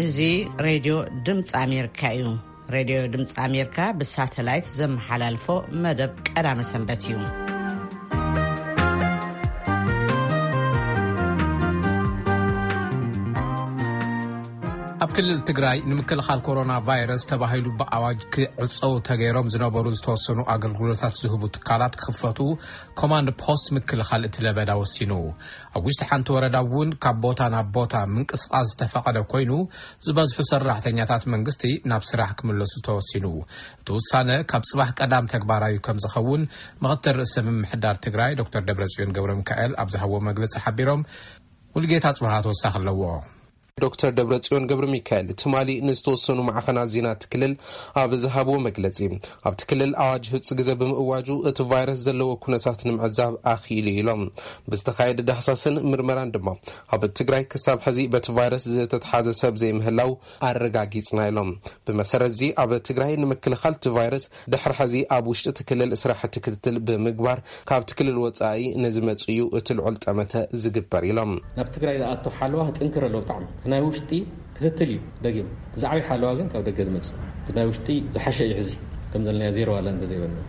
እዚ ሬድዮ ድምፂ ኣሜሪካ እዩ። ሬድዮ ድምፂ ኣሜሪካ ብሳተላይት ዘመሓላልፎ መደብ ቀዳመ ሰንበት እዩ። ኣብ ክልል ትግራይ ንምክልኻል ኮሮና ቫይረስ ተባሂሉ ብኣዋጅ ክዕፀው ተገይሮም ዝነበሩ ዝተወሰኑ ኣገልግሎታት ዝህቡ ትካላት ክኽፈቱ ኮማንድ ፖስት ምክልኻል እቲ ለበዳ ወሲኑ። ኣብ ውሽጢ ሓንቲ ወረዳ እውን ካብ ቦታ ናብ ቦታ ምንቅስቓስ ዝተፈቐደ ኮይኑ፣ ዝበዝሑ ሰራሕተኛታት መንግስቲ ናብ ስራሕ ክምለሱ ተወሲኑ። እቲ ውሳነ ካብ ጽባሕ ቀዳም ተግባራዊ ከም ዝኸውን ምኽትል ርእሰ ምምሕዳር ትግራይ ዶክተር ደብረጽዮን ገብረ ሚካኤል ኣብ ዝሃብዎ መግለጺ ሓቢሮም። ሙሉጌታ ጽባሃ ተወሳኺ ኣለዎ። ዶክተር ደብረጽዮን ገብረ ሚካኤል ትማሊ ንዝተወሰኑ ማዕኸናት ዜና እቲ ክልል ኣብ ዝሃብዎ መግለጺ፣ ኣብቲ ክልል ኣዋጅ ህጹ ግዜ ብምእዋጁ እቲ ቫይረስ ዘለዎ ኩነታት ንምዕዛብ ኣኽኢሉ ኢሎም። ብዝተኻየደ ዳህሳስን ምርመራን ድማ ኣብ ትግራይ ክሳብ ሕዚ በቲ ቫይረስ ዝተትሓዘ ሰብ ዘይምህላው ኣረጋጊጽና ኢሎም። ብመሰረት እዚ ኣብ ትግራይ ንምክልኻል እቲ ቫይረስ ድሕሪ ሕዚ ኣብ ውሽጢ እቲ ክልል ስራሕቲ ክትትል ብምግባር ካብቲ ክልል ወጻኢ ንዝመጽኡ እቲ ልዑል ጠመተ ዝግበር ኢሎም። ናብ ትግራይ ዝኣቱ ሓለዋ ክጥንክር ኣለዎ ብጣዕሚ። እቲ ናይ ውሽጢ ክትትል እዩ ደጊም። እቲ ዝዓበየ ሓለዋ ግን ካብ ደገ ዝመጽእ። እቲ ናይ ውሽጢ ዝሓሸ እዩ ሕዚ። ከም ዘለናዮ ዜሮ ዋላ እንተዘይበልና።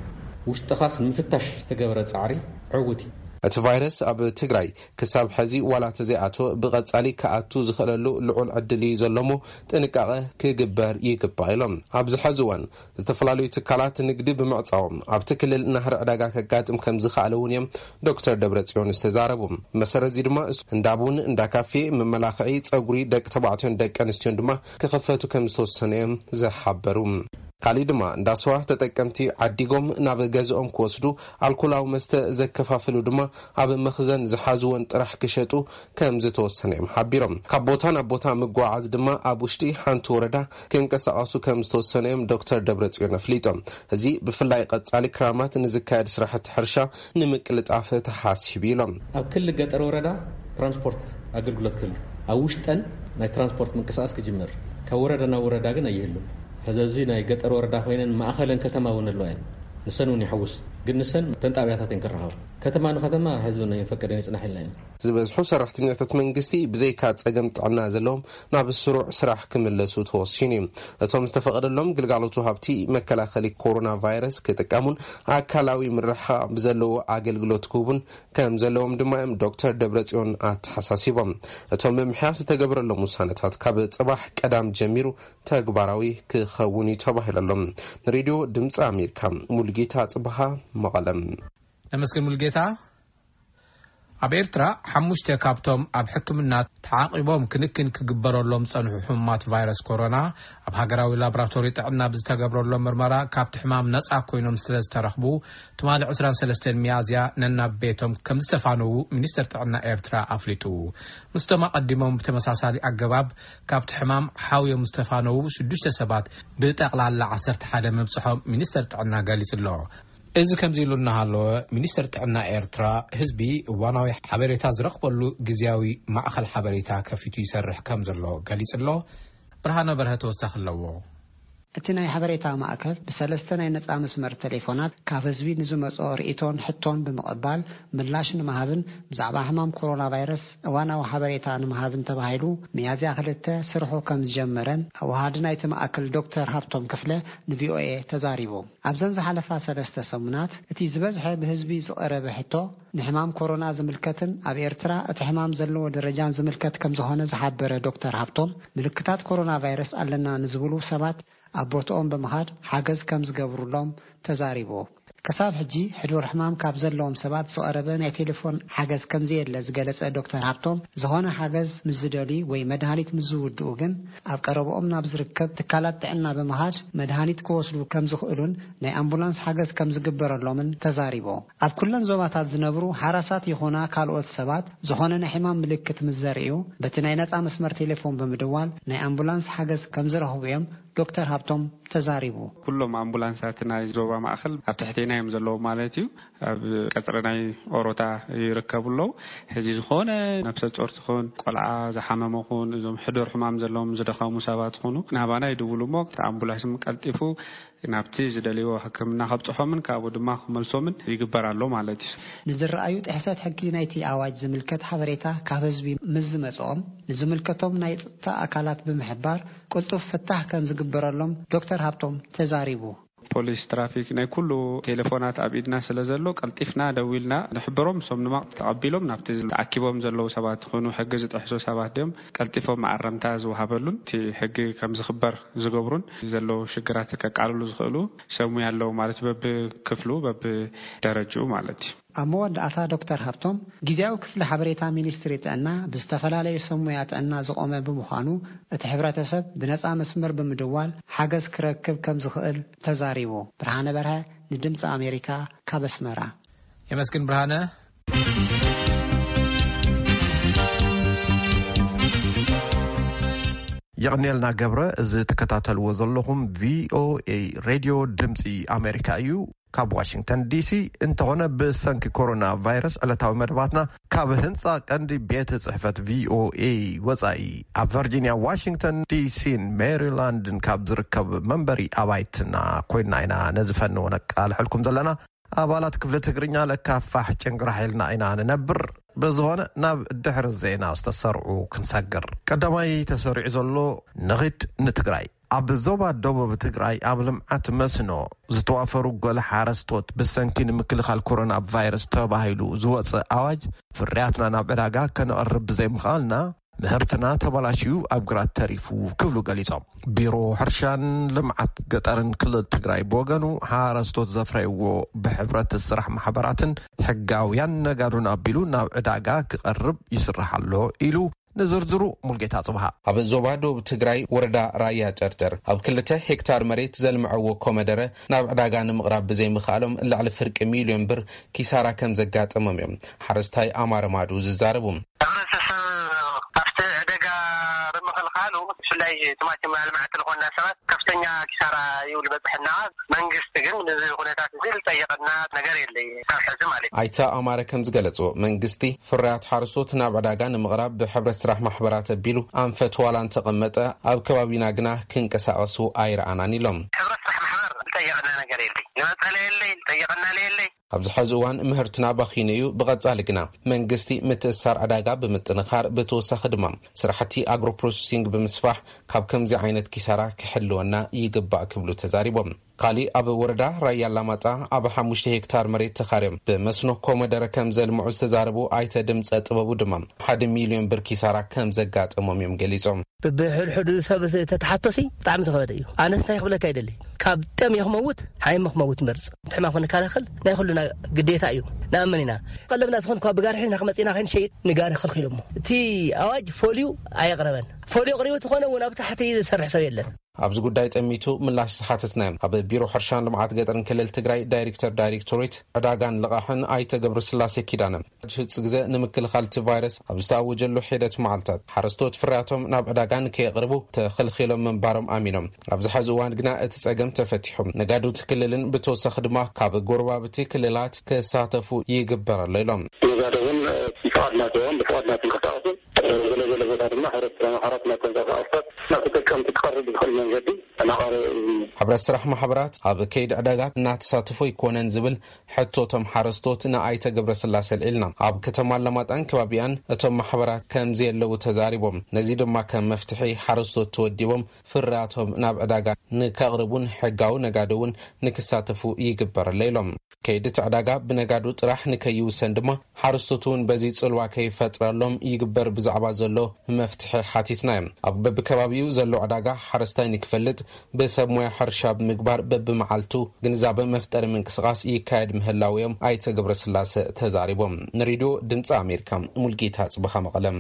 ውሽጥኻስ ንምፍታሽ ዝተገበረ ጻዕሪ ዕውት እዩ። እቲ ቫይረስ ኣብ ትግራይ ክሳብ ሕዚ ዋላ ተዘይኣተወ ብቐጻሊ ክኣቱ ዝኽእለሉ ልዑል ዕድል እዩ ዘሎ እሞ ጥንቃቐ ክግበር ይግባእ ኢሎም። ኣብዚ ሕዚ እዋን ዝተፈላለዩ ትካላት ንግዲ ብምዕጻዎም ኣብቲ ክልል ናህሪ ዕዳጋ ከጋጥም ከም ዝኸኣለ እውን እዮም ዶክተር ደብረጽዮን ዝተዛረቡ። መሰረት እዚ ድማ እንዳ ቡን፣ እንዳ ካፌ፣ መመላኽዒ፣ ጸጉሪ ደቂ ተባዕትዮን ደቂ ኣንስትዮን ድማ ክኸፈቱ ከም ዝተወሰነ እዮም ዝሓበሩ። ካሊእ ድማ እንዳ ስዋ ተጠቀምቲ ዓዲጎም ናብ ገዝኦም ክወስዱ፣ ኣልኮላዊ መስተ ዘከፋፍሉ ድማ ኣብ መኽዘን ዝሓዝዎን ጥራሕ ክሸጡ ከም ዝተወሰነ እዮም ሓቢሮም። ካብ ቦታ ናብ ቦታ ምጓዓዝ ድማ ኣብ ውሽጢ ሓንቲ ወረዳ ክንቀሳቐሱ ከም ዝተወሰነ እዮም ዶክተር ደብረጽዮን ኣፍሊጦም። እዚ ብፍላይ ቀጻሊ ክራማት ንዝካየድ ስራሕቲ ሕርሻ ንምቅልጣፍ ተሓሲቡ ኢሎም። ኣብ ክሊ ገጠር ወረዳ ትራንስፖርት ኣገልግሎት ክህሉ፣ ኣብ ውሽጠን ናይ ትራንስፖርት ምንቅስቃስ ክጅመር፣ ካብ ወረዳ ናብ ወረዳ ግን ኣይህሉን። ሕዚ ኣብዚ ናይ ገጠር ወረዳ ኮይነን ማእኸለን ከተማ እውን ኣለዋ እየን። ንሰን እውን ይሕውስ፣ ግን ንሰን ተን ጣብያታት እየን ክረኸባ። ከተማ ንከተማ ሕዚ እውን ኣይንፈቅድን ይጽናሕ ኢልና ኢና። ዝበዝሑ ሰራሕተኛታት መንግስቲ ብዘይካ ጸገም ጥዕና ዘለዎም ናብ ስሩዕ ስራሕ ክምለሱ ተወሲኑ እዩ። እቶም ዝተፈቐደሎም ግልጋሎት ወሃብቲ መከላኸሊ ኮሮና ቫይረስ ክጥቀሙን ኣካላዊ ምርሕሓቕ ብዘለዎ ኣገልግሎት ክህቡን ከም ዘለዎም ድማ እዮም ዶክተር ደብረጽዮን ኣተሓሳሲቦም። እቶም ምምሕያሽ ዝተገበረሎም ውሳነታት ካብ ጽባሕ ቀዳም ጀሚሩ ተግባራዊ ክኸውን እዩ ተባሂሉ ኣሎ። ንሬድዮ ድምፂ ኣሜሪካ ሙልጌታ ጽበሃ መቐለም። ነመስግን ሙልጌታ። ኣብ ኤርትራ ሓሙሽተ ካብቶም ኣብ ሕክምና ተዓቒቦም ክንክን ክግበረሎም ዝጸንሑ ሕሙማት ቫይረስ ኮሮና ኣብ ሃገራዊ ላቦራቶሪ ጥዕና ብዝተገብረሎም ምርመራ ካብቲ ሕማም ነጻ ኮይኖም ስለ ዝተረኽቡ፣ ትማሊ ዕስራን ሰለስተን ሚያዝያ ነናብ ቤቶም ከም ዝተፋነዉ ሚኒስተር ጥዕና ኤርትራ ኣፍሊጡ። ምስቶም ኣቐዲሞም ብተመሳሳሊ ኣገባብ ካብቲ ሕማም ሓውዮም ዝተፋነዉ ሽዱሽተ ሰባት ብጠቕላላ ዓሰርተ ሓደ ምብጽሖም ሚኒስተር ጥዕና ገሊጹ ኣሎ። እዚ ከምዚ ኢሉ እናሃለወ፣ ሚኒስተር ጥዕና ኤርትራ ህዝቢ እዋናዊ ሓበሬታ ዝረኽበሉ ግዝያዊ ማእኸል ሓበሬታ ከፊቱ ይሰርሕ ከም ዘሎ ገሊጹ ኣሎ። ብርሃነ በርሀ ተወሳኺ ኣለዎ። እቲ ናይ ሓበሬታ ማእከል ብሰለስተ ናይ ነጻ መስመር ቴሌፎናት ካብ ህዝቢ ንዝመጾ ርእይቶን ሕቶን ብምቕባል ምላሽ ንምሃብን ብዛዕባ ሕማም ኮሮና ቫይረስ እዋናዊ ሓበሬታ ንምሃብን ተባሂሉ ሚያዝያ ክልተ ስርሑ ከም ዝጀመረን ኣወሃዲ ናይቲ ማእከል ዶክተር ሃብቶም ክፍለ ንቪኦኤ ተዛሪቡ። ኣብዘን ዝሓለፋ ሰለስተ ሰሙናት እቲ ዝበዝሐ ብህዝቢ ዝቐረበ ሕቶ ንሕማም ኮሮና ዝምልከትን ኣብ ኤርትራ እቲ ሕማም ዘለዎ ደረጃን ዝምልከት ከም ዝኾነ ዝሓበረ ዶክተር ሃብቶም፣ ምልክታት ኮሮና ቫይረስ ኣለና ንዝብሉ ሰባት ኣብ ቦትኦም ብምኻድ ሓገዝ ከም ዝገብሩሎም ተዛሪቡ። ክሳብ ሕጂ ሕዱር ሕማም ካብ ዘለዎም ሰባት ዝቐረበ ናይ ቴሌፎን ሓገዝ ከም ዘየለ ዝገለጸ ዶክተር ሃብቶም፣ ዝኾነ ሓገዝ ምስ ዝደልዩ ወይ መድሃኒት ምስ ዝውድኡ ግን ኣብ ቀረብኦም ናብ ዝርከብ ትካላት ጥዕና ብምኻድ መድሃኒት ክወስዱ ከም ዝኽእሉን ናይ ኣምቡላንስ ሓገዝ ከም ዝግበረሎምን ተዛሪቡ። ኣብ ኩለን ዞባታት ዝነብሩ ሓራሳት ይኹና ካልኦት ሰባት ዝኾነ ናይ ሕማም ምልክት ምስ ዘርእዩ በቲ ናይ ነጻ መስመር ቴሌፎን ብምድዋል ናይ ኣምቡላንስ ሓገዝ ከም ዝረኽቡ እዮም ዶክተር ሃብቶም ተዛሪቡ። ኩሎም ኣምቡላንሳት ናይ ዞባ ማእኸል ኣብ ትሕቴና እዮም ዘለዉ ማለት እዩ። ኣብ ቀጽሪ ናይ ኦሮታ ይርከቡ ኣለዉ። ሕዚ ዝኾነ ነብሰ ጾር ትኹን፣ ቆልዓ ዝሓመመ ኹን፣ እዞም ሕዱር ሕማም ዘለዎም ዝደኸሙ ሰባት ኹኑ ናባና ይድውሉ እሞ፣ እቲ ኣምቡላንስ ቀልጢፉ ናብቲ ዝደልይዎ ሕክምና ከብጽሖምን ካብኡ ድማ ክመልሶምን ይግበር ኣሎ ማለት እዩ። ንዝረኣዩ ጥሕሰት ሕጊ ናይቲ ኣዋጅ ዝምልከት ሓበሬታ ካብ ህዝቢ ምስ ዝመጽኦም፣ ንዝምልከቶም ናይ ጸጥታ ኣካላት ብምሕባር ቅልጡፍ ፍታሕ ከም ዝግበረሎም ዶክተር ሃብቶም ተዛሪቡ። ፖሊስ ትራፊክ ናይ ኩሉ ቴሌፎናት ኣብ ኢድና ስለ ዘሎ፣ ቀልጢፍና ደዊልና ንሕብሮም፣ እሶም ድማ ተቐቢሎም ናብቲ ተኣኪቦም ዘለዉ ሰባት ይኹኑ፣ ሕጊ ዝጥሕሱ ሰባት ድዮም፣ ቀልጢፎም መኣረምታ ዝወሃበሉን እቲ ሕጊ ከም ዝኽበር ዝገብሩን ዘለዉ ሽግራት ከቃልሉ ዝኽእሉ ሰብ ሙያ ኣለዉ ማለት፣ በብክፍሉ፣ በብደረጅኡ ማለት እዩ። ኣብ መወዳእታ ዶክተር ሃብቶም፣ ግዜያዊ ክፍሊ ሓበሬታ ሚኒስትሪ ጥዕና ብዝተፈላለዩ ሰብ ሙያ ጥዕና ዝቖመ ብምዃኑ፣ እቲ ሕብረተሰብ ብነጻ መስመር ብምድዋል ሓገዝ ክረክብ ከም ዝኽእል ተዛሪቡ። ብርሃነ በርሀ፣ ንድምጺ ኣሜሪካ፣ ካብ ኣስመራ። የመስግን ብርሃነ። የቕንየልና ገብረ። እዚ ትከታተልዎ ዘለኹም ቪኦኤ ሬድዮ ድምፂ ኣሜሪካ እዩ። ካብ ዋሽንግተን ዲሲ እንተኾነ፣ ብሰንኪ ኮሮና ቫይረስ ዕለታዊ መደባትና ካብ ህንፃ ቀንዲ ቤት ጽሕፈት ቪኦኤ ወፃኢ፣ ኣብ ቨርጂኒያ፣ ዋሽንግተን ዲሲን ሜሪላንድን ካብ ዝርከብ መንበሪ ኣባይትና ኮይንና ኢና ነዚ ፈነወ ነቃልሐልኩም ዘለና። ኣባላት ክፍሊ ትግርኛ ለካፋሕ ጭንቅራሕ ኢልና ኢና ንነብር። ብዝኾነ፣ ናብ ድሕሪ ዜና ዝተሰርዑ ክንሰግር። ቀዳማይ ተሰሪዑ ዘሎ፣ ንኺድ ንትግራይ። ኣብ ዞባ ደቡብ ትግራይ ኣብ ልምዓት መስኖ ዝተዋፈሩ ገለ ሓረስቶት፣ ብሰንኪ ንምክልኻል ኮሮና ቫይረስ ተባሂሉ ዝወፀ ኣዋጅ፣ ፍርያትና ናብ ዕዳጋ ከነቕርብ ብዘይምኽኣልና፣ ምህርትና ተበላሽዩ ኣብ ግራት ተሪፉ ክብሉ ገሊጾም። ቢሮ ሕርሻን ልምዓት ገጠርን ክልል ትግራይ ብወገኑ፣ ሓረስቶት ዘፍረይዎ ብሕብረት ስራሕ ማሕበራትን ሕጋውያን ነጋዶን ኣቢሉ ናብ ዕዳጋ ክቐርብ ይስራሕ ኣሎ ኢሉ። ንዝርዝሩ፣ ሙልጌታ ጽብሃ። ኣብ ዞባ ደቡብ ትግራይ፣ ወረዳ ራያ ጨርጨር፣ ኣብ ክልተ ሄክታር መሬት ዘልምዐዎ ኮመደረ ናብ ዕዳጋ ንምቕራብ ብዘይምኽኣሎም፣ ልዕሊ ፍርቂ ሚልዮን ብር ኪሳራ ከም ዘጋጠሞም እዮም ሓረስታይ ኣማረ ማዱ ዝዛረቡ። ሕብረተሰብ ካብቲ ዕደጋ ብምኽልኻሉ፣ ብፍላይ ቲማቲም ኣልማዕቲ ዝኾንና ሰባት ከፍተኛ ኪሳራ ይብል በፅሕና። መንግስቲ ግን ነዚ ኩነታት እዚ ዝጠየቐና ነገር የለይ፣ ካብ ሕዚ ማለት እዩ። ኣይተ ኣማረ ከም ዝገለፅዎ፣ መንግስቲ ፍርያት ሓረስቶት ናብ ዕዳጋ ንምቕራብ ብሕብረት ስራሕ ማሕበራት ኣቢሉ ኣንፈት ዋላ እንተቐመጠ፣ ኣብ ከባቢና ግና ክንቀሳቐሱ ኣይረኣናን ኢሎም። ሕብረት ስራሕ ማሕበር ዝጠየቐና ነገር የለይ፣ ንመፀለ የለይ፣ ዝጠየቐና የለይ። ኣብዚ ሕዚ እዋን ምህርትና ባኺኑ እዩ። ብቐጻሊ ግና መንግስቲ ምትእስሳር ዕዳጋ ብምጥንኻር፣ ብተወሳኺ ድማ ስራሕቲ ኣግሮ ፕሮሰሲንግ ብምስፋሕ፣ ካብ ከምዚ ዓይነት ኪሳራ ክሕልወና ይግባእ ክብሉ ተዛሪቦም። ካሊእ ኣብ ወረዳ ራያ ኣላማጣ ኣብ ሓሙሽተ ሄክታር መሬት ተኻርዮም ብመስኖ ኮመደረ ከም ዘልምዑ ዝተዛረቡ ኣይተ ድምፀ ጥበቡ ድማ፣ ሓደ ሚልዮን ብር ኪሳራ ከም ዘጋጠሞም እዮም ገሊጾም። ብብሕድሕዱ ሰብ ተተሓቶሲ ብጣዕሚ ዝኸበደ እዩ። ኣነስ እንታይ ክብለካ ይደሊ፣ ካብ ጥም እየ ክመውት፣ ሓይመ ክመውት መርጽ። እቲ ሕማም ክንከላኸል ናይ ኩሉና ግዴታ እዩ። ንኣምን ኢና። ቀለብና ዝኾን እኳ ብጋሪ ሒዝና ክመጽእና ከይንሸይጥ ንጋሪ ከልኪሎሞ። እቲ ኣዋጅ ፎልዩ ኣየቕረበን። ፎልዩ ኣቕሪቡ ተኾነ እውን ኣብ ታሕቲ ዝሰርሕ ሰብ የለን። ኣብዚ ጉዳይ ጠሚቱ ምላሽ ዝሓተትናዮም ኣብ ቢሮ ሕርሻን ልምዓት ገጠርን ክልል ትግራይ ዳይሬክተር ዳይሬክቶሬት ዕዳጋን ልቓሕን ኣይተ ገብረስላሴ ኪዳነ፣ ሕጽ ግዘ ንምክልኻል እቲ ቫይረስ ኣብ ዝተኣወጀሉ ሒደት መዓልታት፣ ሓረስቶት ፍርያቶም ናብ ዕዳጋ ንከየቕርቡ ተኸልኺሎም ምንባሮም ኣሚኖም። ኣብዚ ሐዚ እዋን ግና እቲ ጸገም ተፈቲሑ። ነጋዶ እቲ ክልልን ብተወሳኺ ድማ ካብ ጎረባብቲ ክልላት ክሳተፉ ይግበር ኣሎ ኢሎም። ነጋዶ እውን ፍቓድ ናቶም ብፍቓድ ናቶም ክንቀሳቐሱ፣ ገለ ገለ ቦታ ድማ ሕረት ሕራት ናብ ተንቀሳቐስታት ናብ ተጠቀምቲ ክቐርብ ብዝኽእል መንገዲ እናቐረበ እዩ። ሕብረት ስራሕ ማሕበራት ኣብ ከይዲ ዕዳጋ እናተሳተፉ ኣይኮነን ዝብል ሕቶ እቶም ሓረስቶት ንኣይተ ገብረስላሴ ኣልዒልና። ኣብ ከተማ ኣላማጣን ከባቢኣን እቶም ማሕበራት ከም ዘየለዉ ተዛሪቦም። ነዚ ድማ ከም መፍትሒ ሓረስቶት ተወዲቦም ፍርያቶም ናብ ዕዳጋ ንከቕርቡን ሕጋዊ ነጋዶ እውን ንክሳተፉ ይግበር ኣሎ ኢሎም። ከይዲ እቲ ዕዳጋ ብነጋዶ ጥራሕ ንከይውሰን ድማ ሓረስቶት እውን በዚ ጽልዋ ከይፈጥረሎም ይግበር ብዛዕባ ዘሎ መፍትሒ ሓቲትና እዮም። ኣብ በብከባቢኡ ዘሎ ዕዳጋ ሓረስታይ ንክፈልጥ ብሰብ ሞያ ሕርሻ ብምግባር በብመዓልቱ ግንዛበ መፍጠሪ ምንቅስቓስ ይካየድ ምህላው እዮም ኣይተ ገብረስላሰ ተዛሪቦም። ንሬድዮ ድምፂ ኣሜሪካ ሙልጌታ ጽብኻ መቐለም።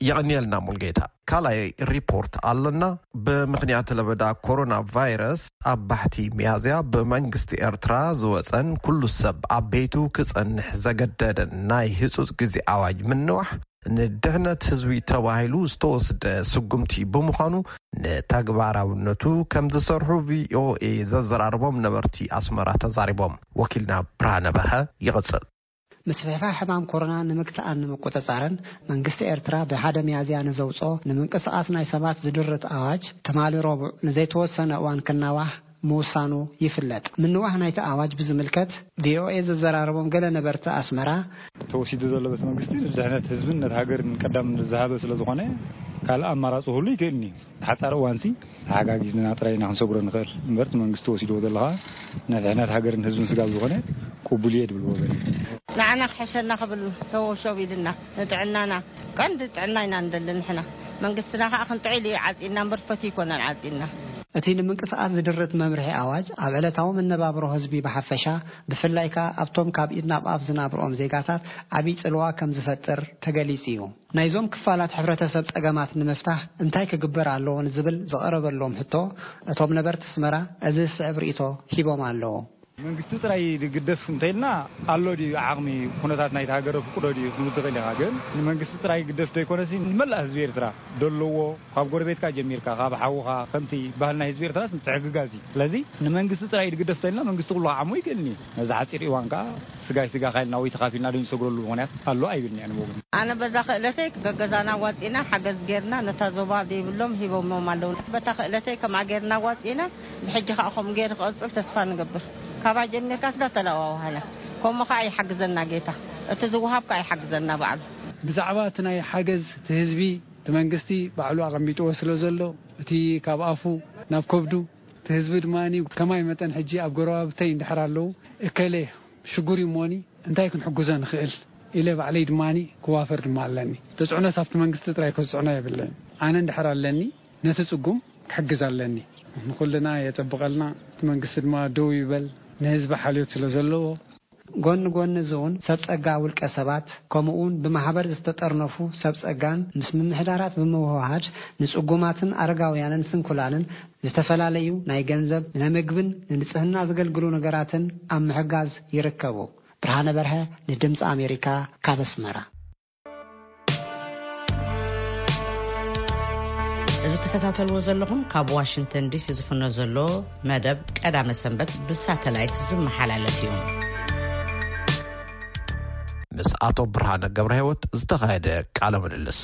የቐንየልና ሙልጌታ። ካልኣይ ሪፖርት ኣለና። ብምኽንያት ለበዳ ኮሮና ቫይረስ ኣብ ባሕቲ ሚያዝያ ብመንግስቲ ኤርትራ ዝወፀን ኩሉ ሰብ ኣብ ቤቱ ክፀንሕ ዘገደደን ናይ ህፁፅ ግዜ ኣዋጅ ምንዋሕ ንድሕነት ህዝቢ ተባሂሉ ዝተወስደ ስጉምቲ ብምዃኑ ንተግባራውነቱ ከም ዝሰርሑ ቪኦኤ ዘዘራርቦም ነበርቲ ኣስመራ ተዛሪቦም። ወኪልና ብርሃነ በርሀ ይቕጽል። ምስፍሕፋሕ ሕማም ኮሮና ንምግታእን ንምቁጽጻርን መንግስቲ ኤርትራ ብሓደ ሚያዝያ ንዘውጽኦ ንምንቅስቓስ ናይ ሰባት ዝድርት ኣዋጅ ትማሊ ረቡዕ ንዘይተወሰነ እዋን ክናዋሕ ምውሳኑ ይፍለጥ። ምንዋሕ ናይቲ ኣዋጅ ብዝምልከት ቪኦኤ ዘዘራረቦም ገለ ነበርቲ ኣስመራ፣ ተወሲዱ ዘሎ ቤት መንግስቲ ንድሕነት ህዝብን ነቲ ሃገርን ቀዳም ዝሃበ ስለ ዝኾነ ካልእ ኣማራጺ ክህሉ ይክእልኒ። ሓጻር እዋንሲ ተሓጋጊዝና ጥራይ ኢና ክንሰግሮ ንኽእል እምበር እቲ መንግስቲ ወሲድዎ ዘሎ ኸኣ ንድሕነት ሃገርን ህዝብን ስጋብ ዝኾነ ቅቡል እየ ድብል ወገን። ንዓና ክሕሸና ክብል ተወሸብ ኢልና ንጥዕናና ቀንዲ ጥዕና ኢና ንደሊ ንሕና። መንግስትና ኸኣ ክንጥዒል እዩ ዓጺና እምበር ፈትዩ ኣይኮነን ዓጺና። እቲ ንምንቅስቓስ ዝድርት መምርሒ ኣዋጅ ኣብ ዕለታዊ መነባብሮ ህዝቢ ብሓፈሻ ብፍላይ ከኣ ኣብቶም ካብ ኢድ ናብ ኣፍ ዝናብርኦም ዜጋታት ዓብዪ ጽልዋ ከም ዝፈጥር ተገሊጹ እዩ። ናይዞም ክፋላት ሕብረተሰብ ጸገማት ንምፍታሕ እንታይ ክግበር ኣለዎ ንዝብል ዝቐረበሎም ሕቶ እቶም ነበርቲ ኣስመራ እዚ ዝስዕብ ርእይቶ ሂቦም ኣለዉ። መንግስቲ ጥራይ ድግደፍ እንተኢልና ኣሎ ድዩ ዓቕሚ ኩነታት ናይቲ ሃገር ፍቅዶ ድዩ ክንብል ትኽእል ኢኻ። ግን ንመንግስቲ ጥራይ ግደፍ ዘይኮነሲ ንመላእ ህዝቢ ኤርትራ ደለዎ ካብ ጎረቤትካ ጀሚርካ ካብ ሓውኻ ከምቲ ባህልና ህዝቢ ኤርትራስ ምትሕግጋዝ እዩ። ስለዚ ንመንግስቲ ጥራይ ድግደፍ እንተኢልና መንግስቲ ኩሉ ክዓሞ ይክእልኒ። ነዚ ሓፂር እዋን ከዓ ስጋይ ስጋ ካይልና ወይ ተኻፊልና ዶ ንሰግረሉ ምኽንያት ኣሎ ኣይብልኒ ኣነ ብወገን። ኣነ በዛ ክእለተይ ገገዛና ዋፂና ሓገዝ ጌርና ነታ ዞባ ዘይብሎም ሂቦሞም ኣለዉ። በታ ክእለተይ ከምኣ ጌርና ዋፂና ብሕጂ ከዓ ከምኡ ገይሩ ክቐፅል ተስፋ ንገብር። ካባይ ጀሚርካ ስዳ ተለዋዋሃና ከምኡ ከዓ ይሓግዘና ጌታ። እቲ ዝወሃብ ከዓ ይሓግዘና ባዕሉ። ብዛዕባ እቲ ናይ ሓገዝ እቲ ህዝቢ እቲ መንግስቲ ባዕሉ ኣቐሚጥዎ ስለ ዘሎ እቲ ካብ ኣፉ ናብ ከብዱ እቲ ህዝቢ ድማ ከማይ መጠን ሕጂ ኣብ ጎረባብተይ እንድሕር ኣለዉ እከሌ ሽጉር እዩ እሞኒ እንታይ ክንሕግዞ ንኽእል ኢለ ባዕለይ ድማ ክዋፈር ድማ ኣለኒ። ተፅዕኖስ ኣብቲ መንግስቲ ጥራይ ከፅዕኖ የብለይን። ኣነ እንድሕር ኣለኒ ነቲ ፅጉም ክሕግዝ ኣለኒ። ንኹልና የፀብቐልና እቲ መንግስቲ ድማ ደው ይበል ንህዝቢ ሓልዮት ስለ ዘለዎ። ጎኒ ጎኒ እዚ እውን ሰብ ጸጋ ውልቀ ሰባት ከምኡ እውን ብማሕበር ዝተጠርነፉ ሰብ ጸጋን ምስ ምምሕዳራት ብምውህሃድ ንጽጉማትን ኣረጋውያንን ስንኩላንን ዝተፈላለዩ ናይ ገንዘብ፣ ናይ ምግብን ንንጽህና ዘገልግሉ ነገራትን ኣብ ምሕጋዝ ይርከቡ። ብርሃነ በርሀ ንድምፂ ኣሜሪካ ካብ ኣስመራ። እዚ ትከታተልዎ ዘለኹም ካብ ዋሽንግተን ዲሲ ዝፍኖ ዘሎ መደብ ቀዳመ ሰንበት ብሳተላይት ዝመሓላለፍ እዩ። ምስ ኣቶ ብርሃነ ገብረ ህይወት ዝተኻየደ ቃለ ምልልስ።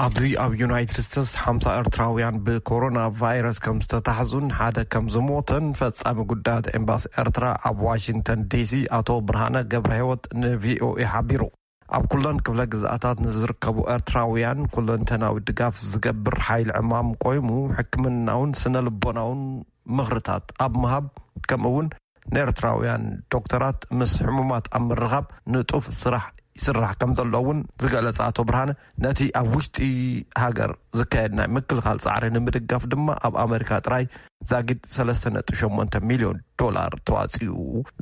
ኣብዚ ኣብ ዩናይትድ ስቴትስ ሓምሳ ኤርትራውያን ብኮሮና ቫይረስ ከም ዝተታሕዙን ሓደ ከም ዝሞተን ፈጻሚ ጉዳያት ኤምባሲ ኤርትራ ኣብ ዋሽንግተን ዲሲ ኣቶ ብርሃነ ገብረ ህይወት ንቪኦኤ ሓቢሩ። ኣብ ኩለን ክፍለ ግዝኣታት ንዝርከቡ ኤርትራውያን ኩለንተናዊ ድጋፍ ዝገብር ሓይሊ ዕማም ቆይሙ ሕክምናውን ስነ ልቦናውን ምኽርታት ኣብ ምሃብ ከምኡ እውን ንኤርትራውያን ዶክተራት ምስ ሕሙማት ኣብ ምርኻብ ንጡፍ ስራሕ ይስራሕ ከም ዘሎ እውን ዝገለጸ ኣቶ ብርሃነ ነቲ ኣብ ውሽጢ ሃገር ዝካየድ ናይ ምክልኻል ጻዕሪ ንምድጋፍ ድማ ኣብ ኣመሪካ ጥራይ ዛጊድ ሰለስተ ነጥቢ ሸሞንተ ሚልዮን ዶላር ተዋጺኡ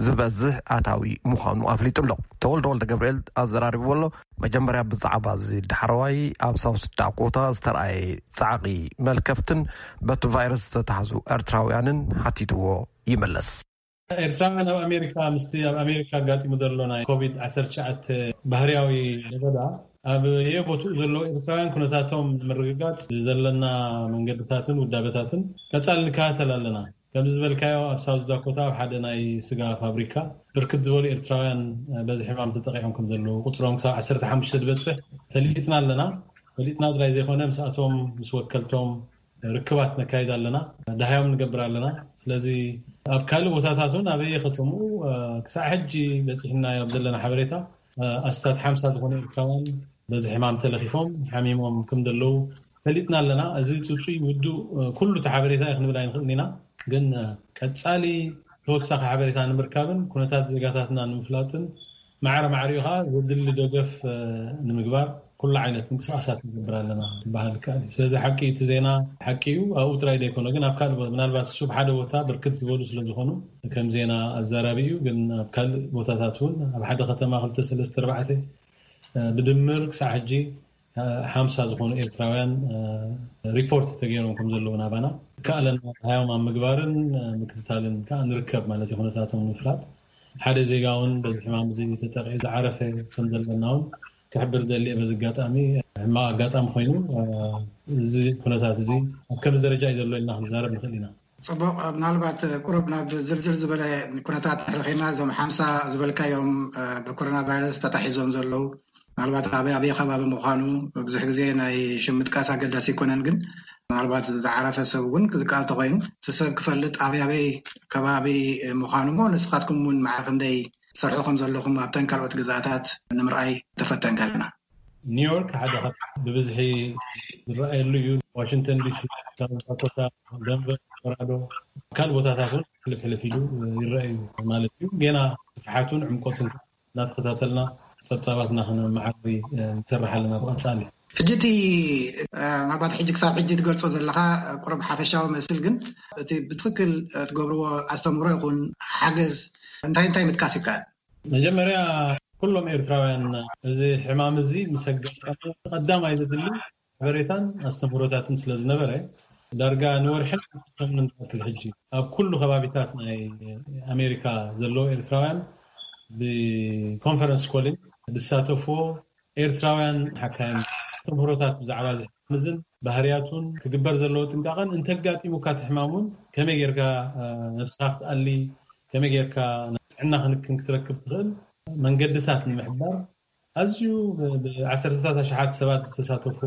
ዝበዝሕ ኣታዊ ምዃኑ ኣፍሊጡ ኣሎ። ተወልደ ወልደ ገብርኤል ኣዘራሪብዎ ኣሎ። መጀመርያ ብዛዕባ እዚ ዳሕረዋይ ኣብ ሳውስ ዳኮታ ዝተረኣየ ጻዕቒ መልከፍትን በቲ ቫይረስ ዝተታሕዙ ኤርትራውያንን ሓቲትዎ ይምለስ። ኤርትራውያን ኣብ ኣሜሪካ ምስቲ ኣብ ኣሜሪካ ኣጋጢሙ ዘሎ ናይ ኮቪድ ዓሰርተ ትሽዓተ ባህርያዊ ለበዳ ኣብ የቦትኡ ዘለዉ ኤርትራውያን ኩነታቶም ንምርግጋጽ ዘለና መንገድታትን ውዳበታትን ቀጻሊ ንከታተል ኣለና። ከምዚ ዝበልካዮ ኣብ ሳውዝ ዳኮታ ኣብ ሓደ ናይ ስጋ ፋብሪካ ብርክት ዝበሉ ኤርትራውያን በዚ ሕማም ተጠቂዖም ከም ዘለዉ ቁፅሮም ክሳብ ዓሰርተ ሓሙሽተ ዝበፅሕ ፈሊጥና ኣለና። ፈሊጥና ጥራይ ዘይኮነ ምስኣቶም ምስ ወከልቶም ርክባት ነካይድ ኣለና፣ ደሃዮም ንገብር ኣለና። ስለዚ ኣብ ካልእ ቦታታት እውን ኣበየ ከተምኡ ክሳዕ ሕጂ በፂሕናዮ ኣብ ዘለና ሓበሬታ ኣስታት ሓምሳ ዝኾኑ ኤርትራውያን በዚ ሕማም ተለኺፎም ሓሚሞም ከም ዘለዉ ፈሊጥና ኣለና። እዚ ፅፁይ ውዱእ ኩሉ እቲ ሓበሬታ እዩ ክንብል ኣይንኽእልን ኢና። ግን ቀፃሊ ተወሳኺ ሓበሬታ ንምርካብን ኩነታት ዜጋታትና ንምፍላጥን ማዕረ ማዕሪኡ ከዓ ዘድሊ ደገፍ ንምግባር ኩሉ ዓይነት ምንቅስቃሳት ንገብር ኣለና ክበሃል ይከኣል እዩ። ስለዚ ሓቂ፣ እቲ ዜና ሓቂ እዩ፣ ኣብኡ ጥራይ ዘይኮነ ግን ኣብ ካልእ ቦታ፣ ምናልባት እሱ ኣብ ሓደ ቦታ ብርክት ዝበሉ ስለዝኾኑ ከም ዜና ኣዛራቢ እዩ። ግን ኣብ ካልእ ቦታታት እውን ኣብ ሓደ ከተማ ክልተ ሰለስተ ኣርባዕተ ብድምር ክሳዕ ሕጂ ሓምሳ ዝኾኑ ኤርትራውያን ሪፖርት ተገይሮም ከም ዘለዉ ናባና፣ ከኣለና ሃዮም ኣብ ምግባርን ምክትታልን ከዓ ንርከብ ማለት እዩ። ኩነታቶም ንምፍላጥ ሓደ ዜጋ እውን በዚ ሕማም እዚ ተጠቂዑ ዝዓረፈ ከም ዘለና እውን ክሕብር ደሊ። በዚ ኣጋጣሚ ሕማቕ ኣጋጣሚ ኮይኑ፣ እዚ ኩነታት እዚ ኣብ ከምዚ ደረጃ እዩ ዘሎ ኢልና ክንዛረብ ንኽእል ኢና። ጽቡቕ። ምናልባት ቁሩብ ናብ ዝርዝር ዝበለ ኩነታት ተረኺና፣ እዞም ሓምሳ ዝበልካዮም ብኮሮና ቫይረስ ተታሒዞም ዘለዉ፣ ምናልባት ኣበይ ኣበይ ከባቢ ምዃኑ፣ ብዙሕ ግዜ ናይ ሽም ምጥቃስ ኣገዳሲ ኣይኮነን፣ ግን ምናልባት ዝዓረፈ ሰብ እውን ዝከኣል ተኾይኑ፣ እቲ ሰብ ክፈልጥ ኣበይ ኣበይ ከባቢ ምዃኑ እሞ፣ ንስኻትኩም እውን ማዕረ ክንደይ ትሰርሑ ከም ዘለኹም ኣብተን ካልኦት ግዛኣታት ንምርኣይ ተፈተንካ ኣለና። ኒውዮርክ ሓደ ካብ ብብዝሒ ዝረኣየሉ እዩ። ዋሽንግተን ዲሲ፣ ሳውት ዳኮታ፣ ደንቨር፣ ኮሎራዶ፣ ካልእ ቦታታት እውን ሕልፍ ሕልፍ ኢሉ ይረኣዩ ማለት እዩ። ጌና ስፍሓቱን ዕምቆትን እናተኸታተልና ጸብጻባትና ክነመዓሪ ንሰርሕ ኣለና ብቐጻሊ። ሕጂ እቲ ምናልባት ሕጂ ክሳብ ሕጂ ትገልጾ ዘለኻ ቁሩብ ሓፈሻዊ መስል፣ ግን እቲ ብትኽክል ትገብርዎ ኣስተምህሮ ይኹን ሓገዝ እንታይ እንታይ ምጥቃስ ይከኣል? መጀመርያ ኩሎም ኤርትራውያን እዚ ሕማም እዚ ምስ ኣጋጠመ ቀዳማይ ዘድሊ ሓበሬታን ኣስተምህሮታትን ስለ ዝነበረ፣ ዳርጋ ንወርሕን ሰሙንን ዝኣክል ሕጂ ኣብ ኩሉ ከባቢታት ናይ ኣሜሪካ ዘለዉ ኤርትራውያን ብኮንፈረንስ ኮሊን ዝሳተፍዎ ኤርትራውያን ሓካይም ኣስተምህሮታት ብዛዕባ እዚ ሕማም እዝን ባህርያቱን ክግበር ዘለዎ ጥንቃቐን እንተጋጢሙካ እቲ ሕማም እውን ከመይ ጌርካ ነብስኻ ክትኣሊ፣ ከመይ ጌርካ ጥዕና ክንክን ክትረክብ ትኽእል መንገድታት ንምሕባር ኣዝዩ ብዓሰርተታት ኣሽሓት ሰባት ዝተሳተፎ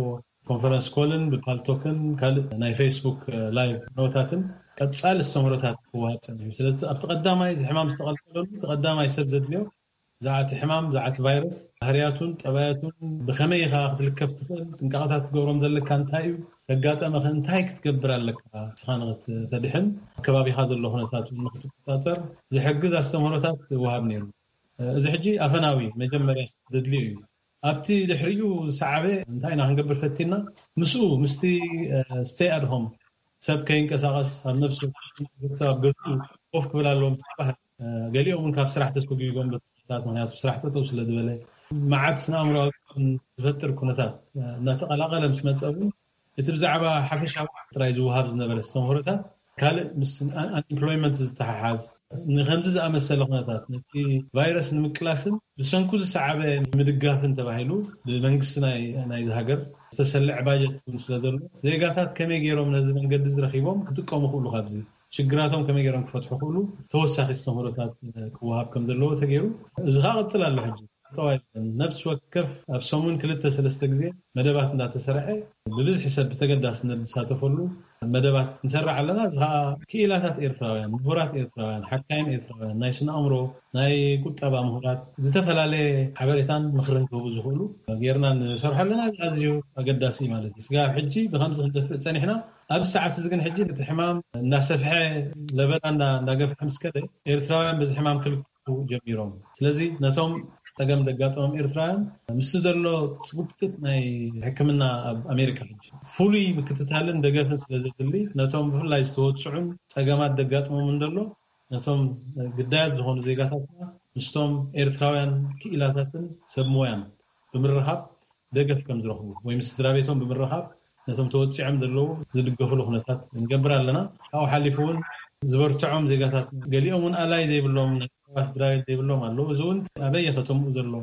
ኮንፈረንስ ኮልን ብፓልቶክን ካልእ ናይ ፌስቡክ ላይቭ ኖታትን ቀጻሊ ኣስተምህሮታት ክወሃብ ጸኒሑ። ስለዚ ኣብቲ ቀዳማይ እዚ ሕማም ዝተቐልቀለሉ እቲ ቀዳማይ ሰብ ዘድልዮ ብዛዕባ እቲ ሕማም፣ ብዛዕባ እቲ ቫይረስ፣ ባህርያቱን ጠባያቱን፣ ብኸመይ ኢኻ ክትልከፍ ትኽእል፣ ጥንቃቐታት ክትገብሮም ዘለካ እንታይ እዩ፣ ተጋጠመኸ እንታይ ክትገብር ኣለካ፣ ንስኻ ንኽትድሕን፣ ኣብ ከባቢኻ ዘሎ ኩነታት እውን ንኽትቆጻጸር ዝሕግዝ ኣስተምህሮታት ይወሃብ ነይሩ። እዚ ሕጂ ኣፈናዊ መጀመርያ ዘድልዮ እዩ። ኣብቲ ድሕሪኡ ዝሰዓበ እንታይ ኢና ክንገብር ፈቲና? ምስኡ፣ ምስቲ ስቴይ ኣት ሆም፣ ሰብ ከይንቀሳቐስ፣ ኣብ ነብሲ ወከፍ ኣብ ገዝኡ ኮፍ ክብል ኣለዎ ምስ ዝበሃል፣ ገሊኦም እውን ካብ ስራሕ ተሰጒጎም በታት፣ ምኽንያቱ ስራሕ ጠጠው ስለ ዝበለ፣ መዓት ስነ ኣእምሮኣዊ ዝፈጥር ኩነታት እናተቐላቐለ ምስ መጸ እውን፣ እቲ ብዛዕባ ሓፈሻዊ ጥራይ ዝወሃብ ዝነበረ ኣስተምህሮታት ካልእ ምስ ኣን-፣ ኣንኤምፕሎይመንት ዝተሓሓዝ ንከምዚ ዝኣመሰለ ኩነታት ነቲ ቫይረስ ንምቅላስን ብሰንኩ ዝሰዓበ ንምድጋፍን ተባሂሉ ብመንግስቲ ናይ፣ ናይዚ ሃገር ዝተሰልዐ ባጀት እውን ስለ ዘሎ ዜጋታት ከመይ ገይሮም ነዚ መንገዲ እዚ ረኺቦም ክጥቀሙ ክእሉ፣ ካብዚ ሽግራቶም ከመይ ገይሮም ክፈትሑ ክእሉ ተወሳኺ ኣስተምህሮታት ክወሃብ ከም ዘለዎ ተገይሩ። እዚ ከዓ ቅጽል ኣሎ። ሕጂ ጠዋይ ነብሲ ወከፍ ኣብ ሰሙን ክልተ ሰለስተ ግዜ መደባት እንዳተሰርሐ ብብዝሒ ሰብ ብተገዳስነት ዝሳተፈሉ መደባት ንሰርሕ ኣለና። እዚ ከዓ ክኢላታት ኤርትራውያን፣ ምሁራት ኤርትራውያን፣ ሓካይም ኤርትራውያን፣ ናይ ስነ ኣእምሮ፣ ናይ ቁጠባ ምሁራት፣ ዝተፈላለየ ሓበሬታን ምኽርን ክህቡ ዝኽእሉ ጌርና ንሰርሖ ኣለና። እዚ ኣዝዩ ኣገዳሲ እዩ ማለት እዩ። ስጋብ ሕጂ ብከምዚ ክንደፍእ ጸኒሕና፣ ኣብዚ ሰዓት እዚ ግን ሕጂ እቲ ሕማም እናሰፍሐ፣ ለበዳ እንዳ-፣ እንዳገፍሐ ምስ ከደ፣ ኤርትራውያን በዚ ሕማም ክልክፉ ጀሚሮም። ስለዚ ነቶም ጸገም ዘጋጠሞም ኤርትራውያን ምስቲ ዘሎ ጽቅጥቅጥ ናይ ሕክምና ኣብ ኣሜሪካ ሕጂ ፍሉይ ምክትታልን ደገፍን ስለ ዘድሊ፣ ነቶም ብፍላይ ዝተወጽዑን ጸገማት ዘጋጥሞምን ዘሎ ነቶም ግዳያት ዝኾኑ ዜጋታትና ምስቶም ኤርትራውያን ክኢላታትን ሰብ ሞያን ብምርኻብ ደገፍ ከም ዝረኽቡ ወይ ምስ ስድራ ቤቶም ብምርኻብ ነቶም ተወጺዖም ዘለዉ ዝድገፍሉ ኩነታት ንገብር ኣለና። ካብኡ ሓሊፉ እውን ዝበርትዖም ዜጋታት ገሊኦም እውን ኣላይ ዘይብሎም፣ ናይ ቀረባ ስድራ ቤት ዘይብሎም ኣለዉ። እዚ እውን ኣበየ ከተምኡ ዘሎ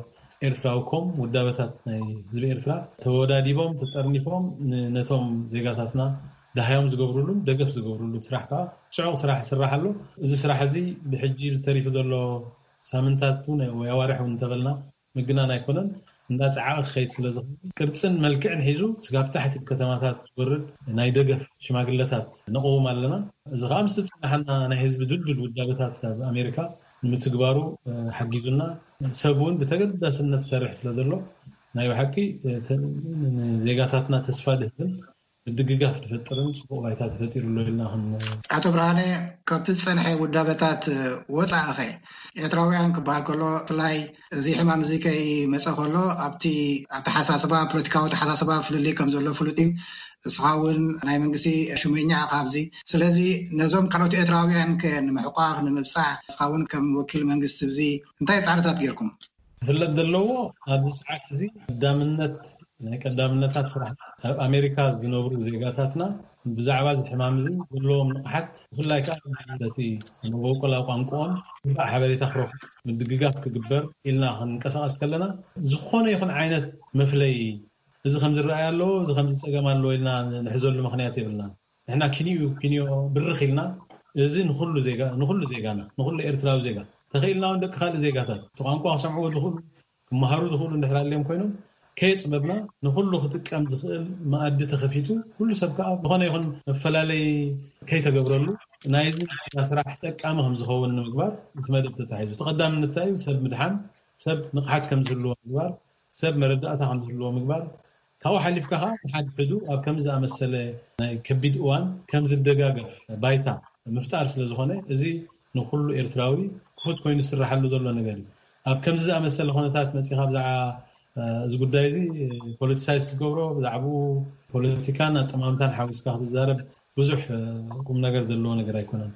ኤርትራዊ ኮም ውዳበታት ናይ ህዝቢ ኤርትራ ተወዳዲቦም፣ ተጠርኒፎም ን-፣ ነቶም ዜጋታትና ደሃዮም ዝገብሩሉን ደገፍ ዝገብሩሉ ስራሕ ከዓ ጽዑቕ ስራሕ ይስራሕ ኣሎ። እዚ ስራሕ እዚ ብሕጂ ተሪፉ ዘሎ ሳምንታት እውን ወይ ኣዋርሕ እውን እንተበልና ምግናን ኣይኮነን፣ እንዳጸዓቐ ክኸይድ ስለ ዝኽእል፣ ቅርጽን መልክዕን ሒዙ ስጋብ ታሕቲ ብከተማታት ዝወርድ ናይ ደገፍ ሽማግለታት ነቕውም ኣለና። እዚ ከዓ ምስ ዝጸናሓና ናይ ህዝቢ ድልዱል ውዳበታት ኣብ ኣሜሪካ ንምትግባሩ፣ እ፣ ሓጊዙና፣ ሰብ እውን ብተገዳስነት ዝሰርሕ ስለ ዘሎ፣ ናይ ብሓቂ፣ እ፣ ተ-፣ ንዜጋታትና ተስፋ ድህብን ምድግጋፍ ዝፈጥርን ጽቡቕ ባይታ ተፈጢሩ ኣሎ ኢልና። ኣቶ ብርሃነ፣ ካብቲ ዝጸንሐ ውዳበታት ወጻእኸ ኤርትራውያን ክበሃል ከሎ፣ ብፍላይ እዚ ሕማም እዚ ከይመጸ ከሎ ኣብቲ ኣተሓሳስባ፣ ፖለቲካዊ ኣተሓሳስባ ፍልልይ ከም ዘሎ ፍሉጥ እዩ። እስኻ እውን ናይ መንግስቲ ሽመኛ ኢኻ ኣብዚ። ስለዚ ነዞም ካልኦት ኤርትራውያን ከ ንምሕቋፍ ንምብጻሕ፣ እስኻ እውን ከም ወኪል መንግስቲ እዚ እንታይ ጻዕርታት ጌርኩም? ክፍለጥ ዘለዎ፣ ኣብዚ ሰዓት እዚ ቀዳምነት፣ ናይ ቀዳምነታት ስራሕ ኣብ ኣሜሪካ ዝነብሩ ዜጋታትና ብዛዕባ እዚ ሕማም እዚ ዘለዎም ንቕሓት፣ ብፍላይ ከዓ በቲ መበቆላ ቋንቋኦም ግባእ ሓበሬታ ክረኽቡ ምድግጋፍ ክግበር ኢልና ክንቀሳቐስ ከለና፣ ዝኾነ ይኹን ዓይነት መፍለይ፣ እዚ ከም ዝረኣይ ኣለዎ፣ እዚ ከም ዝጸገም ኣለዎ ኢልና ንሕዘሉ ምኽንያት የብልና። ንሕና ኪንኡ ኪንዮ ብርኽ ኢልና፣ እዚ ንኹሉ ዜጋ፣ ንኹሉ ዜጋና፣ ንኹሉ ኤርትራዊ ዜጋ፣ ተኽኢልና እውን ደቂ ካልእ ዜጋታት፣ እቲ ቋንቋ ክሰምዕዎ ዝኽእሉ፣ ክመሃሩ ዝኽእሉ እንድሕር ኣልዮም ኮይኖም፣ ከየጽበብና ንኹሉ ክጥቀም ዝኽእል መኣዲ ተኸፊቱ፣ ኩሉ ሰብ ከዓ ዝኾነ ይኹን መፈላለይ ከይተገብረሉ፣ ናይዚ ስራሕ ጠቃሚ ከም ዝኸውን ንምግባር እቲ መደብ ተታሒዙ። እቲ ቀዳምነት እንታይ እዩ? ሰብ ምድሓን፣ ሰብ ንቕሓት ከም ዝህልዎ ምግባር፣ ሰብ መረዳእታ ከም ዝህልዎ ምግባር፣ ካብኡ ሓሊፍካ ከዓ ንሓድሕዱ ኣብ ከምዚ ዝኣመሰለ ናይ ከቢድ እዋን ከም ዝደጋገፍ ባይታ ምፍጣር ስለ ዝኾነ፣ እዚ ንኩሉ ኤርትራዊ ክፉት ኮይኑ ዝስራሓሉ ዘሎ ነገር እዩ። ኣብ ከምዚ ዝኣመሰለ ኩነታት መጺኻ ብዛዕባ፣ እ፣ እዚ ጉዳይ እዚ ፖለቲሳይዝ ትገብሮ፣ ብዛዕባኡ ፖለቲካን ኣጠማምታን ሓዊስካ ክትዛረብ ብዙሕ፣ እ፣ ቁም ነገር ዘለዎ ነገር ኣይኮነን።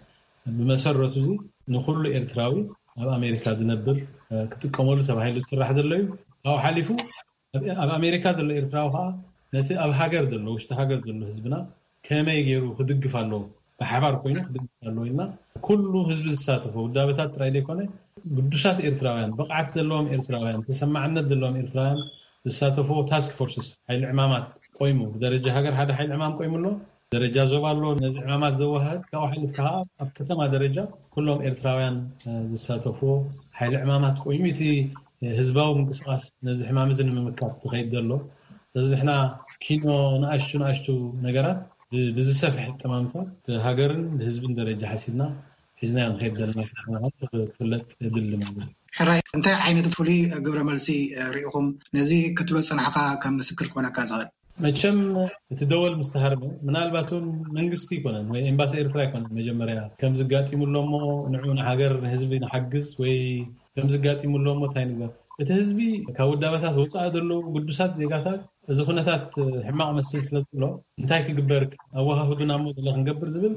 ብመሰረቱ እዚ ንኩሉ ኤርትራዊ ኣብ ኣሜሪካ ዝነብር፣ እ፣ ክጥቀመሉ ተባሂሉ ዝስራሕ ዘሎ እዩ። ካብኡ ሓሊፉ ኣብ፣ ኣብ ኣሜሪካ ዘሎ ኤርትራዊ ከዓ ነቲ ኣብ ሃገር ዘሎ፣ ውሽጢ ሃገር ዘሎ ህዝብና ከመይ ገይሩ ክድግፍ ኣለዎ፣ ብሓባር ኮይኑ ክድግፍ ኣለዎ ኢልና ኩሉ ህዝቢ ዝሳተፎ ውዳበታት ጥራይ ዘይኮነ፣ ግዱሳት ኤርትራውያን፣ ብቕዓት ዘለዎም ኤርትራውያን፣ ተሰማዕነት ዘለዎም ኤርትራውያን ዝሳተፎ ታስክ ፎርስስ፣ ሓይሊ ዕማማት ቆይሙ፣ ብደረጃ ሃገር ሓደ ሓይሊ ዕማም ቆይሙ ኣሎ፣ ደረጃ ዞባ ኣሎ፣ ነዚ ዕማማት ዘወሃድ፣ ካብኡ ሓሊፍካ ከዓ ኣብ ከተማ ደረጃ ኩሎም ኤርትራውያን፣ እ፣ ዝሳተፍዎ ሓይሊ ዕማማት ቆይሙ፣ እቲ ህዝባዊ ምንቅስቃስ ነዚ ሕማም እዚ ንምምካት ዝኸይድ ዘሎ። ስለዚ ንሕና ኪኖ ንኣሽቱ ንኣሽቱ ነገራት ብ-፣ ብዝሰፍሐ ጠማምታ ብሃገርን ብህዝብን ደረጃ ሓሲብና ሒዝናዮ ንኸይድ ዘለና ክፍለጥ የድሊ ማለት እዩ። ሕራይ፣ እንታይ ዓይነት ፍሉይ ግብረ መልሲ ርኢኹም ነዚ ክትብሎ ዝጸናሕካ ከም ምስክር ክኾነካ ዝኽእል? መቸም እቲ ደወል ምስ ተሃርመ፣ ምናልባት እውን መንግስቲ ኣይኮነን ወይ ኤምባሲ ኤርትራ ኣይኮነን መጀመርያ ከምዚ ኣጋጢሙ ኣሎ እሞ ንዑ ንሃገር ንህዝቢ ንሓግዝ ወይ ከምዚ ኣጋጢሙ ኣሎ እሞ እንታይ ንግበር። እቲ ህዝቢ ካብ ውዳበታት ወጻኢ ዘለዉ ግዱሳት ዜጋታት እዚ ኩነታት ሕማቕ መስል ስለ ዘሎ እንታይ ክግበር፣ ኣወሃህዱና እሞ ገለ ክንገብር ዝብል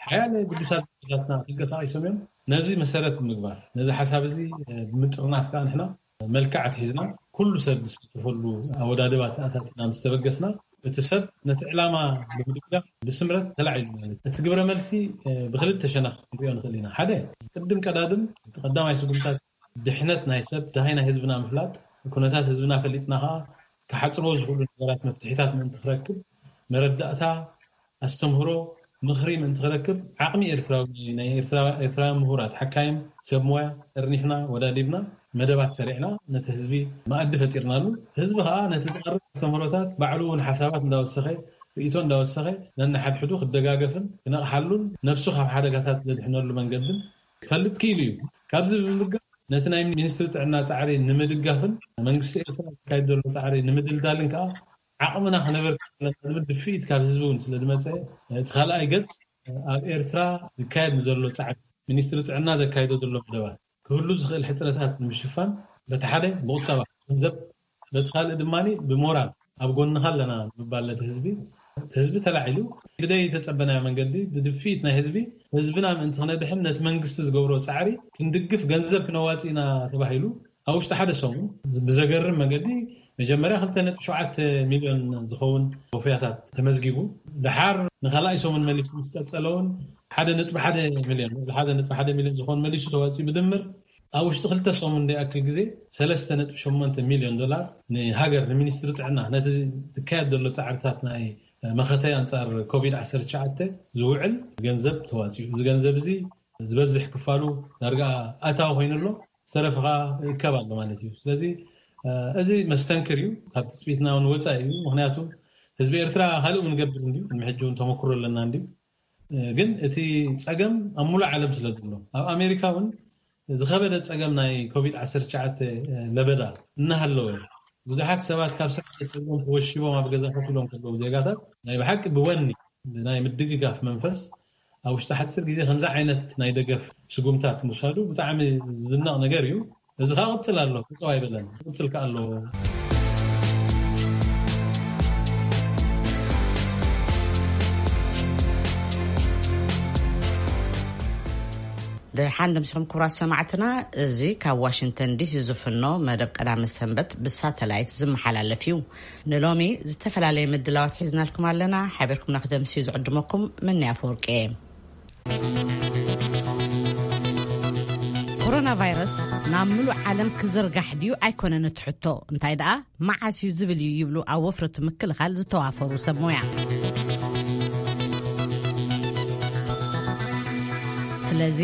ሓያለ ግዱሳት ዜጋታትና ተንቀሳቒሶም እዮም። ነዚ መሰረት ብምግባር ነዚ ሓሳብ እዚ ብምጥርናፍ ከዓ ንሕና መልክዕ ኣትሒዝና ኩሉ ሰብ ዝሳተፈሉ ኣወዳድባ ተኣታቲና ምስ ተበገስና፣ እቲ ሰብ ነቲ ዕላማ ብምድጋፍ ብስምረት ተላዒሉ ማለት እዩ። እቲ ግብረ መልሲ፣ እ፣ ብክልተ ሸነኽ ክንሪኦ ንኽእል ኢና። ሓደ፣ ቅድም ቀዳድም እቲ ቀዳማይ ስጉምታት ድሕነት ናይ ሰብ፣ ደሃይ ናይ ህዝብና ምፍላጥ፣ ኩነታት ህዝብና ፈሊጥና ከዓ ክሓጽርዎ ዝኽእሉ ነገራት መፍትሒታት ምእንቲ ክረክብ መረዳእታ ኣስተምህሮ፣ ምኽሪ ምእንቲ ክረክብ ዓቕሚ ኤርትራዊ፣ ናይ ኤርትራ-፣ ኤርትራውያን ምሁራት፣ ሓካይም፣ ሰብ ሞያ ጠርኒፍና፣ ወዳዲብና፣ መደባት ሰሪዕና፣ ነቲ ህዝቢ መኣዲ ፈጢርናሉ። ህዝቢ ኸኣ ነቲ ዝቐርብ ኣስተምህሮታት ባዕሉ እውን ሓሳባት እንዳወሰኸ፣ ርእይቶ እንዳወሰኸ፣ ነንሓድሕዱ ክደጋገፍን ክነቕሓሉን ነብሱ ካብ ሓደጋታት ዘድሕነሉ መንገድን ክፈልጥ ክኢሉ እዩ። ካብዚ ብምብጋር ነቲ ናይ ሚኒስትሪ ጥዕና ጻዕሪ ንምድጋፍን መንግስቲ ኤርትራ ዝካየድ ዘሎ ጻዕሪ ንምድልዳልን ከኣ ዓቕምና ክነበርክት ኣለና ዝብል ድፍኢት ካብ ህዝቢ እውን ስለ ዝመጸ፣ እቲ ካልኣይ ገጽ ኣብ ኤርትራ ዝካየድ ንዘሎ ጻዕሪ ሚኒስትሪ ጥዕና ዘካይዶ ዘሎ መደባት ክህሉ ዝኽእል ሕጽረታት ንምሽፋን በቲ ሓደ ብቁጠባ ገንዘብ፣ በቲ ካልእ ድማ ብሞራል ኣብ ጎንኻ ኣለና ንምባል ነቲ ህዝቢ፣ እቲ ህዝቢ ተላዒሉ ብደይ ተጸበናዮ መንገዲ ብድፍኢት ናይ ህዝቢ ህዝብና ምእንቲ ክነድሕን ነቲ መንግስቲ ዝገብሮ ጻዕሪ ክንድግፍ ገንዘብ ክነዋጽእ ኢና ተባሂሉ ኣብ ውሽጢ ሓደ ሰሙን ብዘገርም መገዲ መጀመርያ ክልተ ነጥቢ ሸውዓተ ሚልዮን ዝኸውን ወፍያታት ተመዝጊቡ፣ ደሓር ንኻልኣይ ሰሙን መሊሱ ምስ ቀጸለ እውን ሓደ ነጥቢ ሓደ ሚልዮን፣ ሓደ ነጥቢ ሓደ ሚልዮን ዝኸውን መሊሱ ተዋፂኡ። ብድምር ኣብ ውሽጢ ክልተ ሰሙን ዘይኣክል ግዜ ሰለስተ ነጥቢ ሸሞንተ ሚልዮን ዶላር ንሃገር፣ ንሚኒስትሪ ጥዕና፣ ነቲ ዝካየድ ዘሎ ጻዕርታት ናይ መኸተ ኣንጻር ኮቪድ ዓሰርተ ትሽዓተ ዝውዕል ገንዘብ ተዋፂኡ። እዚ ገንዘብ እዚ ዝበዝሕ ክፋሉ ዳርጋ ኣታዊ ኮይኑ ኣሎ፣ ዝተረፈ ከዓ ይእከብ ኣሎ ማለት እዩ። ስለዚ፣ እ፣ እዚ መስተንክር እዩ፣ ካብ ትጽቢትና እውን ወጻኢ እዩ። ምኽንያቱ ህዝቢ ኤርትራ ካልእ እውን ይገብር እንድዩ፣ ቅድሚ ሕጂ እውን ተመክሮ ኣለና እንድዩ። እ፣ ግን እቲ ጸገም ኣብ ሙሉእ ዓለም ስለ ዘሎ፣ ኣብ ኣሜሪካ እውን ዝኸበደ ጸገም ናይ ኮቪድ ዓሰርተ ትሽዓተ ለበዳ እናሃለወ፣ ብዙሓት ሰባት ካብ ስራሕ ተጸልዮም ተወሺቦም ኣብ ገዛ ኮፍ ኢሎም ከለዉ፣ ዜጋታት ናይ ብሓቂ ብወኒ ናይ ምድግጋፍ መንፈስ ኣብ ውሽጢ ሓጺር ግዜ ከምዚ ዓይነት ናይ ደገፍ ስጉምታት ምውሳዱ ብጣዕሚ ዝድነቕ ነገር እዩ። እዚ ከዓ ቅጽል ኣሎ፣ ቅጽል ኣይበለን፣ ቅጽል ከዓ ኣለዎ። ደሓን ደምሲኹም ክቡራት ሰማዕትና፣ እዚ ካብ ዋሽንግተን ዲሲ ዝፍኖ መደብ ቀዳመ ሰንበት ብሳተላይት ዝመሓላለፍ እዩ። ንሎሚ ዝተፈላለየ ምድላዋት ሒዝናልኩም ኣለና። ሓቢርኩምና ክደምሲ ዝዕድመኩም ምንያ ኣፈወርቂ እየ። ኮሮና ቫይረስ ናብ ምሉእ ዓለም ክዝርጋሕ ድዩ ኣይኮነን እቲ ሕቶ፣ እንታይ ደኣ መዓስ እዩ ዝብል እዩ ይብሉ ኣብ ወፍሪ ምክልኻል ዝተዋፈሩ ሰብ ሞያ። ስለዚ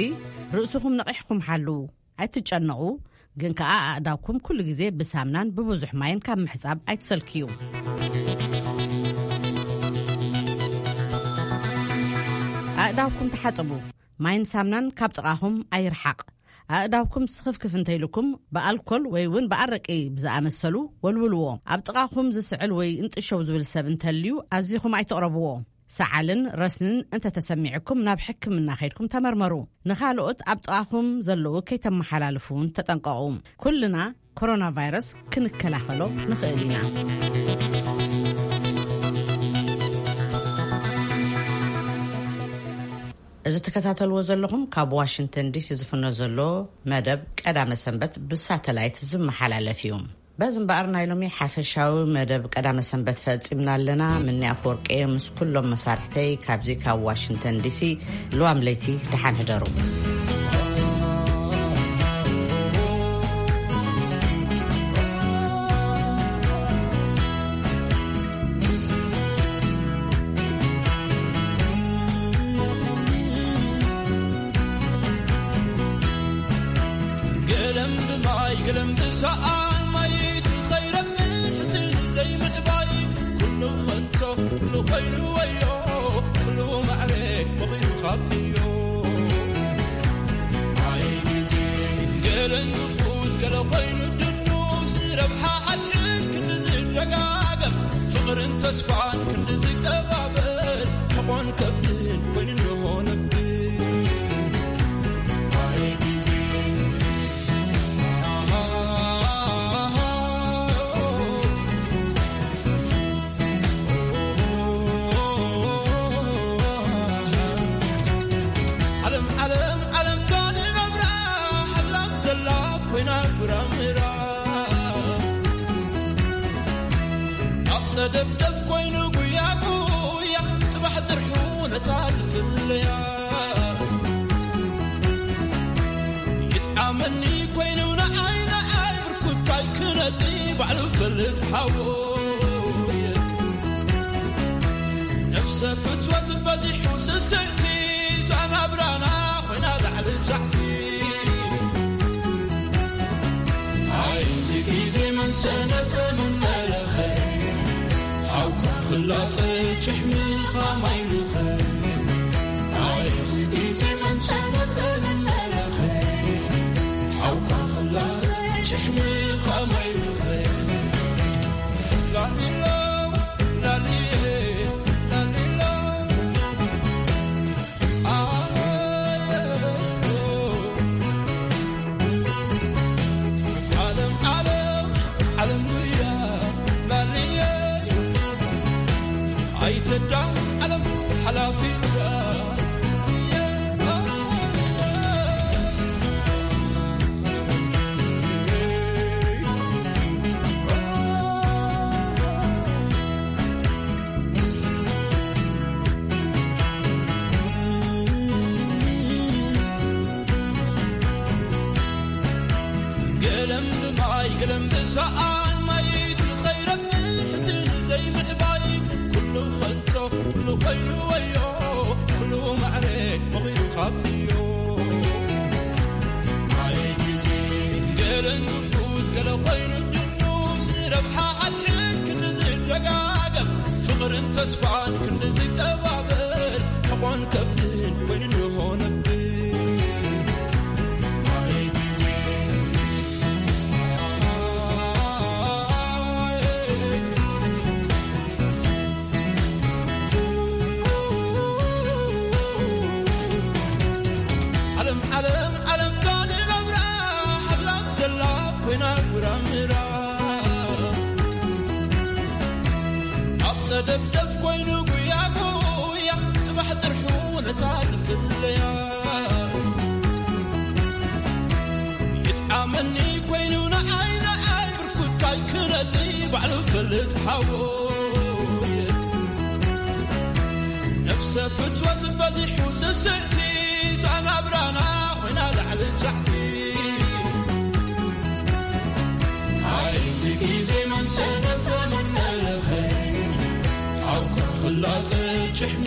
ርእስኹም ነቒሕኩም ሓልዉ፣ ኣይትጨነቑ። ግን ከኣ ኣእዳውኩም ኩሉ ግዜ ብሳምናን ብብዙሕ ማይን ካብ ምሕጻብ ኣይትሰልክዩ። ኣእዳውኩም ተሓጸቡ። ማይን ሳምናን ካብ ጥቓኹም ኣይርሓቕ። ኣእዳውኩም ስኽፍክፍ እንተኢልኩም ብኣልኮል ወይ እውን ብኣረቂ ብዝኣመሰሉ ወልውልዎ። ኣብ ጥቓኹም ዝስዕል ወይ እንጥሸው ዝብል ሰብ እንተልዩ ኣዚኹም ኣይትቕረብዎ። ሰዓልን ረስንን እንተተሰሚዕኩም ናብ ሕክምና ከይድኩም ተመርመሩ። ንኻልኦት ኣብ ጥቓኹም ዘለዉ ከይተመሓላልፉ እውን ተጠንቀቑ። ኩልና ኮሮና ቫይረስ ክንከላኸሎ ንኽእል ኢና። እዚ ትከታተልዎ ዘለኹም ካብ ዋሽንግተን ዲሲ ዝፍኖ ዘሎ መደብ ቀዳመ ሰንበት ብሳተላይት ዝመሓላለፍ እዩ። በዚ እምበኣር ናይ ሎሚ ሓፈሻዊ መደብ ቀዳመ ሰንበት ፈጺምና ኣለና። ምኒ ኣፈወርቂ ምስ ኩሎም መሳርሕተይ ካብዚ ካብ ዋሽንግተን ዲሲ ልዋም ለይቲ ደሓን ሕደሩ። ገለም ብማይ ገለም ብሰኣን ማይ ትኸይረብሕትን ዘይምዕባይ ኩሉ ኸንቶ ኩሉ ኾይኑ ወዮ ኩሉ ማዕረ በኺሩ ካብዮ። ኣይ ግዜ ገለ ንጉስ ገለ ኾይኑ ድኑስ ንረብሓ ሓድሕድ ክንዲ ዝደጋገፍ ፍቕርን ተስፋን ክንዲ ዝቀባበር ሕቖን ከብድን ኮይኑ እንሆ ነብር። ኣይ ግዜ ዓለም ዓለም ዓለም ዛንነብራ ሓብላም ዘላፍ ኮይና ጉራምራ ኣብ ጸደፍደፍ ኮይኑ ጉያ ጉያ ጽባሕ ጥርሑ ነታ ዝፍለያ ይጥዓመኒ ኮይኑ ንዓይ ንዓይ ብርኩታይ ክነጢ ባዕሉ ፈልጥ ሓወየ ነፍሰ ፍትወት በዚሑ ስስዕቲ ዛናብራና ኮይና ላዕሊ ታሕቲ ኣይዚ ግዜ መን ሰነፈ መን መለኸ ሓውካ ክላጸ ጭሕምኻ ማይልኸ ኣይዚ ግዜ መን ሰነፈ መን መለኸ ሓውካ ክላጸ ጭሕምኻ ማይልኸ ላሊሎ ላሊሎ ላሊሎ ዓለም ዓለም ዓለም ጉያ ላልየ ኣይተዳ ዓለም ሓላፊት ገለም ብማይ ገለም ብሰኣን ማይ ትኸይረብሕትን ዘይምዕባይ ኩሉ ኸንቶ ኩሉ ኾይኑ ወዮ ኩሉ ማዕረ መኺሩ ካብዮ ማይ ግዜ ገለ ንጉስ ገለ ኾይኑ ድኑስ ንረብሓ ሓድሕድ ክንዲ ዝደጋገፍ ፍቕርን ተስፋን ክንዲ ዝቀባበር ሕቖን ከብድን ኮይኑ እንሆ ነብር ማይ ግዜ ደፍደፍ ኮይኑ ጉያ ጉያ ጽባሕ ጥርሑ ነታ ዝፍለያ ይጥዓመኒ ኮይኑ ንዓይ ንዓይ ብርኩታይ ክነጢ ባዕሉ ፈልጥ ሓወየት ነፍሰ ፍትወት በዚሑ ስስዕቲ ዛናብራና ኮይና ላዕሊ ጫዕቲ ኣይቲ ግዜ መን ሰነፈ መን ነለኸ ሓውካ ክላጸ ጭሕሚ